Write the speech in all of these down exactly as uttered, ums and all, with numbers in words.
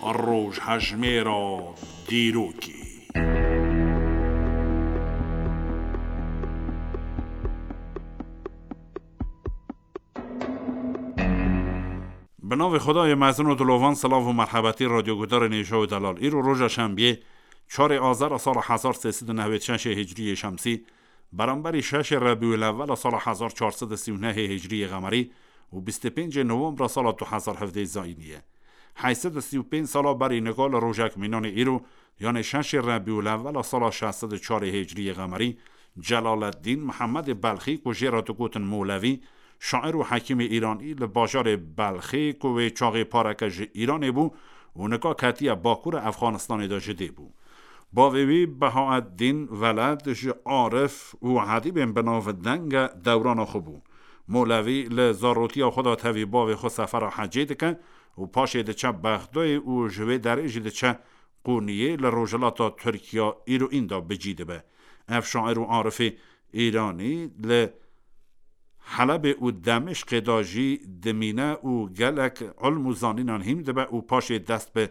Rojhejmêra dîrokê. Bi navê Xwedayê mezin û dilovan, silav û merhebetî radyoguhdarên hêja û delal. Îro roja şembiyê, çarê azara sala hezar sê sed û nehwêd şeşê hicriyê şemsî, beramberî şeşê Rebîul Ewwela sala hezar çar sed û sî û nehê hicriyê qemerî û bîst û pêncê Nowembra sala du hezar hevdeh zayînî ye. Heyt sed û sî û pênc sala berî nika li rojek mînanê îro, yanê şeşê Rebîul Ewwela sala şeş sed û çarê hicriyê qemerî, Celaleddîn Mihemedê Belxî ku jê re digotin Molevî, şair û hekîmê îranî li bajarê Belxê ku wê çaxê pareke ji Îranê bû û nika ketiye Bakurê Efxanistanê de ji dê bû. Bavê wî Behaeddîn Veled ji arif û edîbên bi navdeng e dewrana xwe bû. Molevî li zarotiya xwe de tevî bavê xwe sefera hecê dike û paşê diçe Bexdayê û ji wê derê jî diçe Qûniyê li rojhilata Tirkiya îro înda bi cî dibe. Ev şair û arifê Îranî li Helebê û Demişqê de jî dimîne û gelek ilm û zanînan hîm dibe û paşê dest bi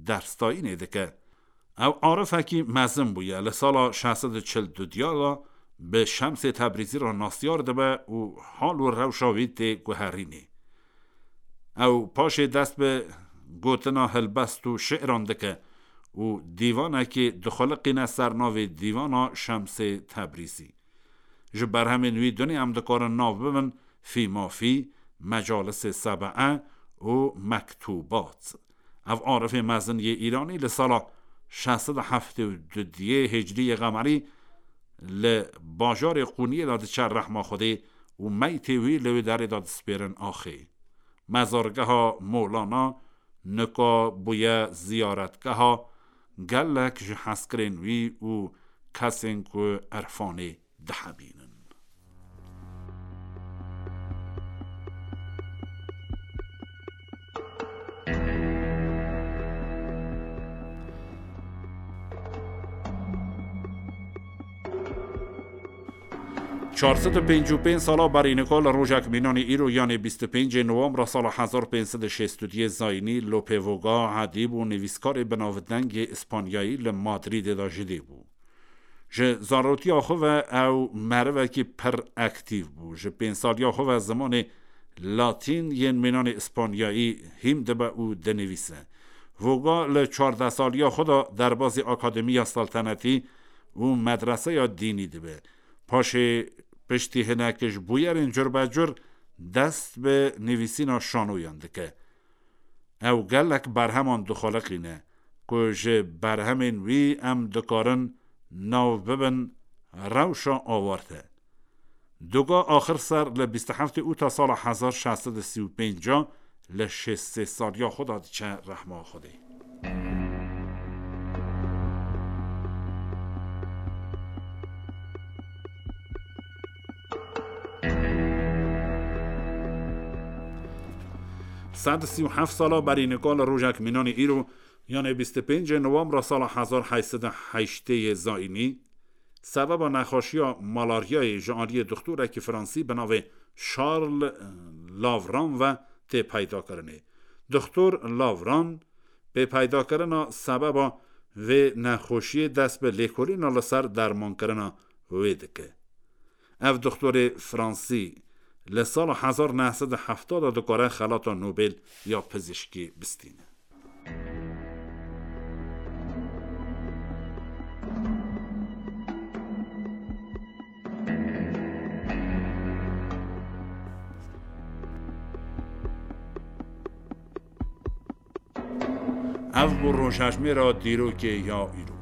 dersdayînê dike. Ew arifekî mezin bûye. Li sala şeş sed û çil û du de bi Şemsê Tebrîzî re nasyar dibe û hal û rewşa wî tê guherînê. Ew paşê dest bi gotina helbest û şi'ran dike û dîvanekê dixuliqîne ser navê Dîvana Şemsê Tebrîzî. Ji berhemên wî dunê em dikarin nav bibin Fîmafî, Mecalisê Sebe'e û Mektubat. Ev arifê mezin yê Îranî li sala şeş sed û heftê û du diyê Hicriyê Qemerî li bajarê Qûniyê de diçe rehma Xwedê û meytê wî li wê derê de dispêrin axê. Mezargeha Molana nika bûye ziyaretgeha gelek ji hezkirên wî û kesên ku irfanê dihebînin. Çar sed û pêncî û pênc sala berî nika li rojek mînanî îro, yanê bîst û pêncê Nowembra sala hezar pênc sed û şêst û duyê zayînî, Lope Voga, edîb û nivîskarê binavdengê Îspanyayî li Madrîdê de ji dê bû. Ji zarotiya xwe ve ew merivekî pir aktîf bû. Ji pênc saliya xwe ve zimanê latîn yên mînanê Îspanyayî hîm dibe û dinivîse. Voga li çardeh saliya xwe de derbazî Akademiya Saltanetî û medreseya dînî dibe. Paşê piştî hinek ji bûyerên curbecur dest bi nivîsîna şanoyan dike. Ew gelek berheman dixuliqîne ku ji berhemên wî em dikarin nav bibin Rewşa Awarte. Doga axir ser li bîst û heftê Ûta sala hezar şeş sed û sî û pênc a li şêst sê saliya xwe de diçe rehma Xwedê. Sed û sî û heft sala berî nika li rojek mînanê îro, yanê bîst û pêncê Nowembra sala hezar heyt sed û heştê yê zayînî, sebeba nexweşiya malaryayê ji aliyê dixtorekî fransî bi navê Charles Lavran ve tê peydakirinê. Dixtor Lavran pê peydakirina sebeba vê nexweşiyê dest bi lêkolîna li ser dermankirina wê dike. Ev dixtorê fransî li sala hezar neh sed û hefta de dikare xelata Nobel ya pizîşkî bistîne. Ev bû rojhejmêra dîrokê ya îro.